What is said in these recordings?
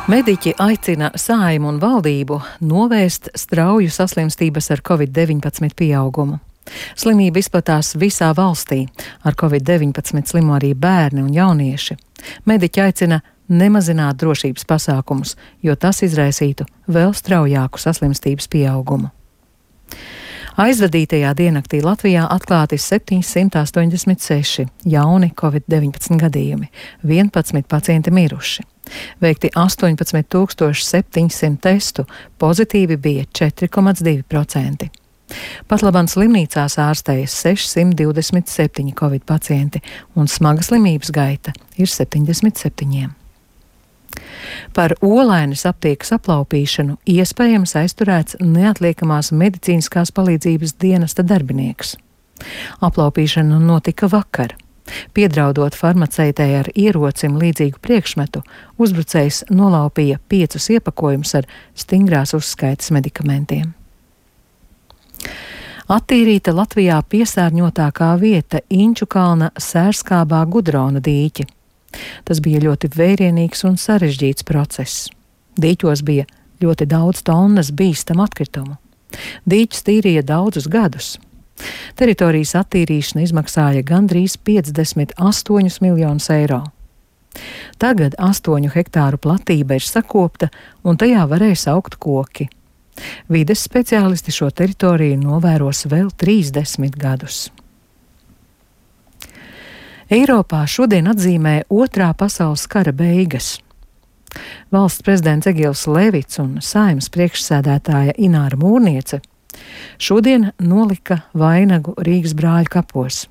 Mediķi aicina Saeimu un valdību novērst strauju saslimstības ar Covid-19 pieaugumu. Slimība izplatās visā valstī. Ar Covid-19 slimo arī bērni un jaunieši. Mediķi aicina nemazināt drošības pasākumus, jo tas izraisītu vēl straujāku saslimstības pieaugumu. Aizvadītajā diennaktī Latvijā atklāti 786 jauni Covid-19 gadījumi, 11 pacienti miruši. Veikti 18,700 testu, pozitīvi bija 4,2%. Patlaban slimnīcās ārstējas 627 Covid pacienti un smaga slimības gaita ir 77. Par Olainas aptiekas aplaupīšanu iespējams aizturēts neatliekamās medicīniskās palīdzības dienesta darbinieks. Aplaupīšana notika vakar. Piedraudot farmaceitei ar ierocim līdzīgu priekšmetu, uzbrucējs nolaupīja 5 iepakojumus ar stingrās uzskaites medikamentiem. Attīrīta Latvijā piesārņotākā vieta Inčukalna Sērskābā Gudrona dīķi. Tas bija ļoti vērienīgs un sarežģīts process. Dīķos bija ļoti daudz tonnas bīstamu atkritumu. Dīķus tīrīja daudzus gadus. Teritorijas attīrīšana izmaksāja gandrīz 58 miljonus eiro. Tagad 8 hektāru platība ir sakopta un tajā varēs augt koki. Vides speciālisti šo teritoriju novēros vēl 30 gadus. Eiropā šodien atzīmē Otrā pasaules kara beigas. Valsts prezidents Egils Levits un Saeimas priekšsēdētāja Ināra Mūrniece šodien nolika vainagu Rīgas brāļu kapos.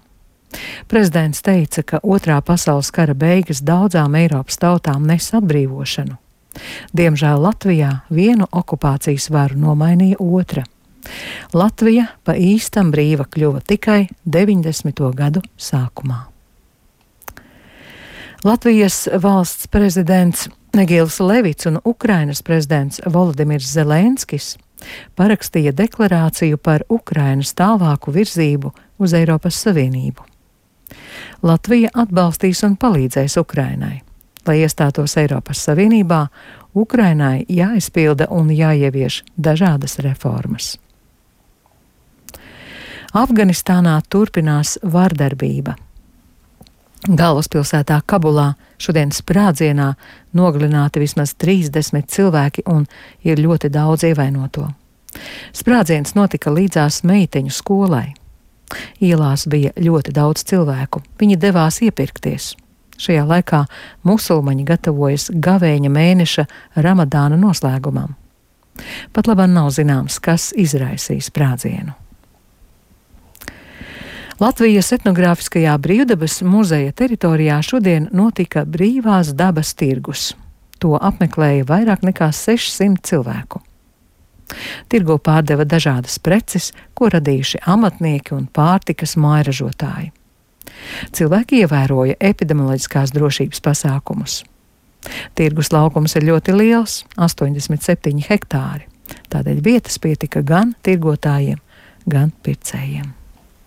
Prezidents teica, ka Otrā pasaules kara beigas daudzām Eiropas tautām nes atbrīvošanu. Diemžēl Latvijā vienu okupācijas varu nomainīja otra. Latvija pa īstam brīva kļuva tikai 90. gadu sākumā. Latvijas valsts prezidents Egils Levits un Ukrainas prezidents Volodimirs Zelenskis parakstīja deklarāciju par Ukrainas tālāku virzību uz Eiropas Savienību. Latvija atbalstīs un palīdzēs Ukrainai. Lai iestātos Eiropas Savienībā, Ukrainai jāizpilda un jāievieš dažādas reformas. Afganistānā turpinās vardarbība. Galvaspilsētā Kabulā šodien sprādzienā nogalināti vismaz 30 cilvēki un ir ļoti daudz ievainoto. Sprādziens notika līdzās meiteņu skolai. Ielās bija ļoti daudz cilvēku. Viņi devās iepirkties. Šajā laikā musulmaņi gatavojas gavēņa mēneša Ramadāna noslēgumam. Pat labāk nav zināms, kas izraisīja sprādzienu. Latvijas etnogrāfiskajā brīvdabas muzeja teritorijā šodien notika brīvās dabas tirgus. To apmeklēja vairāk nekā 600 cilvēku. Tirgo pārdeva dažādas preces, ko radījuši amatnieki un pārtikas mājražotāji. Cilvēki ievēroja epidemioloģiskās drošības pasākumus. Tirgus laukums ir ļoti liels – 87 hektāri. Tādēļ vietas pietika gan tirgotājiem, gan pircējiem.